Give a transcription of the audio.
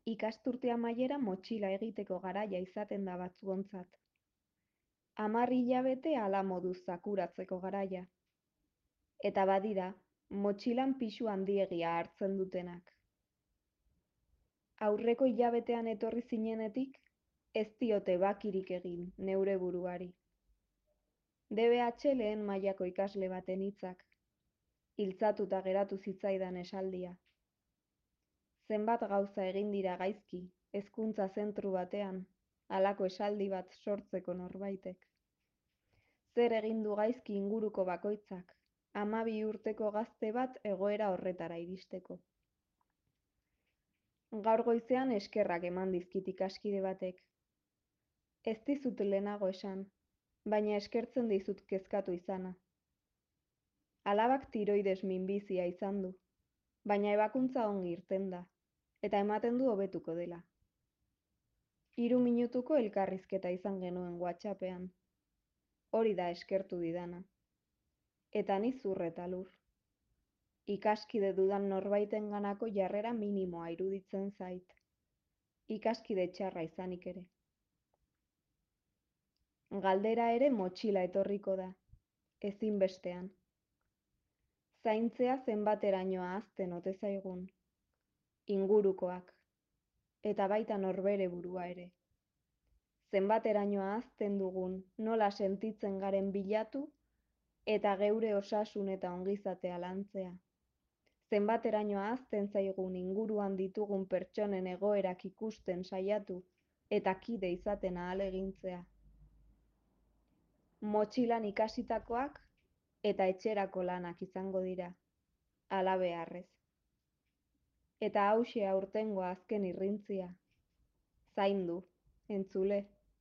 Ikasturte amaiera motxila egiteko garaia izaten da batzuontzat. 10 hilabete hala moduz zakuratzeko garaia. Eta badira, motxilan pisu handiegia hartzen dutenak. Aurreko hilabetean etorri zinenetik, ez diote bakirik egin neure buruari. DBH lehen mailako ikasle baten hitzak. Iltzatuta geratu zitzaidan esaldia. Zenbat gauza egin dira gaizki, hezkuntza zentru batean, halako esaldi bat sortzeko norbaitek. Zer egin du gaizki inguruko bakoitzak, 12 urteko gazte bat egoera horretara iristeko. Gaur goizean eskerrak eman dizkit ikaskide batek. Ez dizut lehenago esan, baina eskertzen dizut kezkatu izana. Alabak tiroides minbizia izan du, baina ebakuntza ongi irten da, eta ematen du hobetuko dela. 3 minutuko elkarrizketa izan genuen WhatsAppean. Hori da eskertu didana. Eta ni zur eta lur. Ikaskide dudan norbaitenganako jarrera minimoa iruditzen zait. Ikaskide txarra izanik ere. Galdera ere motxila etorriko da, ezinbestean. Zaintzea zenbateraino ahazten ote zaigun. Ingurukoak, eta baita norbere burua ere. Zenbateraino ahazten dugun nola sentitzen garen bilatu, eta geure osasun eta ongizatea lantzea. Zenbateraino ahazten zaigun inguruan ditugun pertsonen egoerak ikusten saiatu, eta kide izaten ahalegintzea. Motxilan ikasitakoak eta etxerako lanak izango dira, halabeharrez. Eta hauxe aurtengo azken irrintzia. Zaindu, entzule.